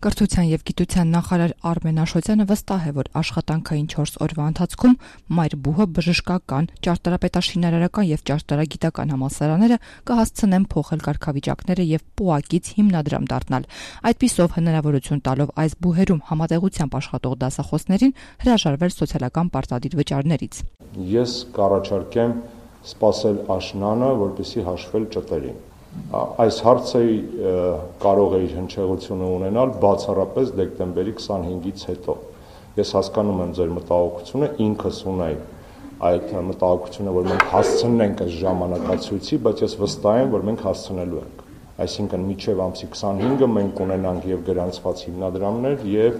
Կրթության և գիտության նախարար Արմեն Աշոտյանը վստահ է, որ աշխատանքային 4 օրվա ընթացքում մայր բուհը, բժշկական, ճարտարապետաշինարարական և ճարտարագիտական համալսարանները կհասցնեն փոխել կարգավիճակները և պոակից հիմնադրամ դառնալ։ Այդպիսով հնարավորություն տալով այս բուհերում համատեղությամբ աշխատող դասախոսներին հրաժարվել սոցիալական պարտադիր վճարներից։ Ես կառաջարկեմ սպասել աշնանը, որպեսզի հաշվել ճտերին։ Այս հարցը կարող է իր հնչեղությունը ունենալ բացառապես դեկտեմբերի 25-ից հետո։ Ես հասկանում եմ ձեր մտահոգությունը, ինքս ունեի այդ մտահոգությունը, որ մենք հասցնենք այս ժամանակացույցի, բայց ես վստահ եմ, որ մենք հասցնելու ենք։ Այսինքն մինչև ամսի 25-ը մենք կունենանք եւ գրանցված հիմնադրամներ եւ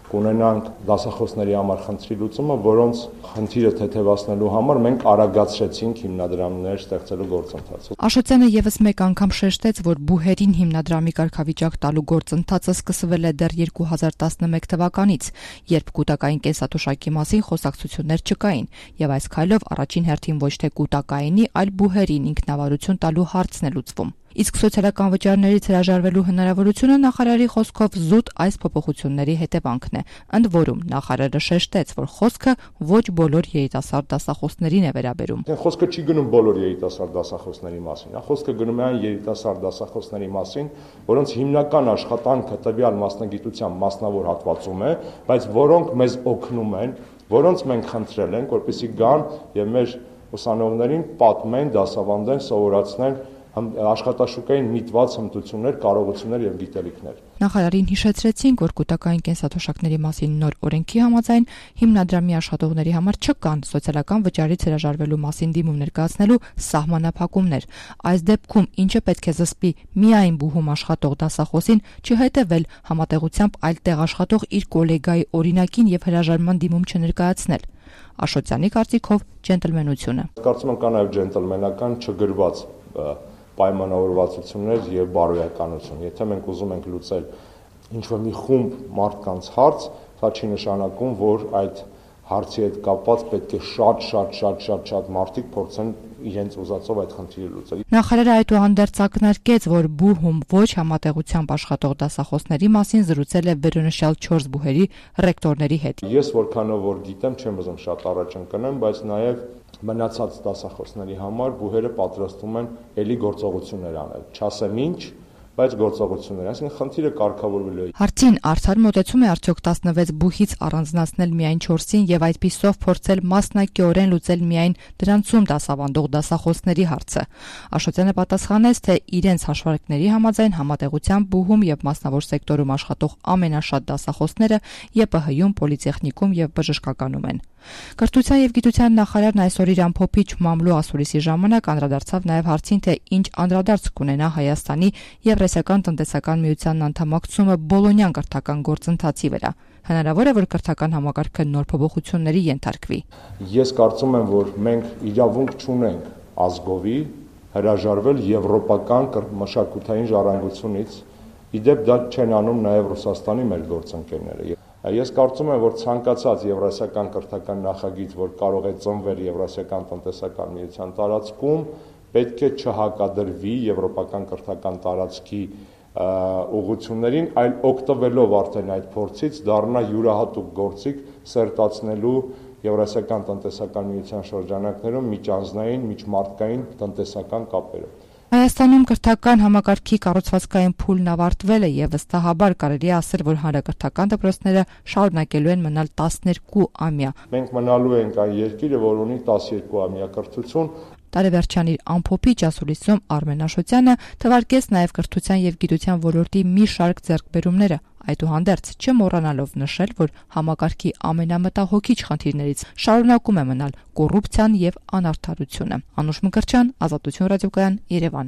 կունենանք դասախոսների համար խնդրի լուծումը, որոնց խնդիրը թեթևացնելու համար մենք արագացրեցինք հիմնադրամներ ստեղծելու գործընթացը։ Աշոտյանը եւս մեկ անգամ շեշտեց, որ բուհերին հիմնադրամի կարգավիճակ տալու գործընթացը սկսվել է դեռ 2011 թվականից, երբ կուտակային կենսաթոշակի մասին խոսակցություններ չկային, եւ այս քայլով առաջին հերթին ոչ թե կուտակայինի, այլ բուհերին ինքնավարություն տալու հարցն է լուծվում։ Իսկ սոցիալական վճարներից հրաժարվելու հնարավորությունը նախարարի խոսքով զուտ այս փոփոխությունների հետևանքն է։ Ընդ որում նախարարը շեշտեց, որ խոսքը ոչ բոլոր երիտասարդ դասախոսներին է վերաբերում։ Խոսքը չի գնում բոլոր երիտասարդ դասախոսների մասին, խոսքը գնում է այն երիտասարդ դասախոսների մասին, որոնց հիմնական աշխատանքը տվյալ մասնագիտության մասնավոր հատվածում է, բայց որոնք մեզ օգնում են, որոնց մենք խնդրել ենք, որպեսզի գան եւ մեր ուսանողներին պատմեն, դասավանդեն, սովորացնեն աշխատաշուկային միտված հմտություններ, կարողություններ եւ գիտելիքներ։ Նախարարին հիշեցրեցինք, որ կուտակային կենսաթոշակների մասին նոր օրենքի համաձայն հիմնադրամի աշխատողների համար չկան սոցիալական վճարից հրաժարվելու մասին դիմում ներկայացնելու սահմանափակումներ։ Այս դեպքում ինչը պետք է զսպի միայն բուհում աշխատող դասախոսին չհետևել համատեղությամբ այլ տեղ աշխատող իր գոլեգայի օրինակին եւ հրաժարման դիմում չներկայացնել։ Աշոտյանի կարծիքով ջենտլմենությունը։ Կարծում եմ կա նաեւ ջենտլմենական չգրված պայմանավորվածություններ եւ բարոյականություն։ Եթե մենք ուզում ենք լուծել ինչ-որ մի խումբ մարդկանց հարց, դա չի նշանակում, որ այդ հարցի հետ կապված պետք է շատ մարդիկ փորձեն իրենց ուզածով այդ խնդիրը լուծել։ Նախարարը այդուհանդերձ ակնարկեց, որ բուհում ոչ համատեղությամբ աշխատող դասախոսների մասին զրուցել է վերոնշյալ 4 բուհերի ռեկտորների հետ։ Ես որքանով որ գիտեմ, չեմ ուզում շատ առաջ ընկնեմ, բայց նաեւ մնացած դասախոսների համար բուհերը պատրաստվում են ելի գործողություններ անել։ Չասեմ ինչ, բայց գործողություններ, այսինքն խնդիրը կարգավորվելու է։ Հարցին արդար մոտեցում է արդյոք 16 բուհից առանձնացնել միայն 4-ին եւ այդպիսով փորձել մասնակիորեն լուծել միայն դրանցում դասավանդող դասախոսների հարցը։ Աշոտյանը պատասխանեց, թե իրենց հաշվարկների համաձայն համատեղությամբ բուհում եւ մասնավոր սեկտորում աշխատող ամենաշատ դասախոսները ԵՊՀ-ում, պոլիտեխնիկում եւ բժշկականում են։ Կրթության եւ գիտության նախարարն այսօր իր ամփոփիչ մամլու ասուլիսի ժամանակ անդրադարձավ նաեւ հարցին, թե ինչ անդրադարձ կունենա Հայաստանի Եվրասիական տնտեսական միությանն անդամակցումը Բոլոնյան կրթական գործընթացի վրա։ Հնարավոր է, որ կրթական համակարգը նոր փոփոխությունների ենթարկվի։ Ես կարծում եմ, որ մենք իրավունք չունենք ազգովի հրաժարվել եվրոպական մշակութային ժառանգությունից։ Իդեպ դա չեն անում նաեւ Ռուսաստանի մեր գործընկերները։ Ես կարծում եմ, որ ցանկացած եվրասիական կրթական նախագիծ, որ կարող է ծնվել Եվրասիական տնտեսական միության տարածքում, պետք է չհակադրվի եվրոպական կրթական տարածքի ուղղություններին, այլ օգտվելով արդեն այդ փորձից դառնա յուրահատուկ գործիք սերտացնելու Եվրասիական տնտեսական միության շրջանակներում միջանձնային, միջմարտկային տնտեսական կապերը։ Հայաստանում կրթական համակարգի կառուցվածքային փուլն ավարտվել է եւ վստահաբար կարելի է ասել, որ հանրակրթական դպրոցները շարունակելու են մնալ 12-ամյա։ Մենք մնալու ենք այն երկիրը, որ ունի 12-ամյա կրթություն։ Տարեվերջան իր ամփոփիչ ասուլիսում Արմեն Աշոտյանը թվարկեց նաև կրթության եւ գիտության ոլորտի մի շարք ձեռքբերումները, այդուհանդերձ չմոռանալով նշել, որ համակարգի ամենամտահոգիչ խնդիրներից շարունակում է մնալ կոռուպցիան եւ անարդարությունը։ Անուշ Մկրտչյան, Ազատություն ռադիոկայան, Երևան։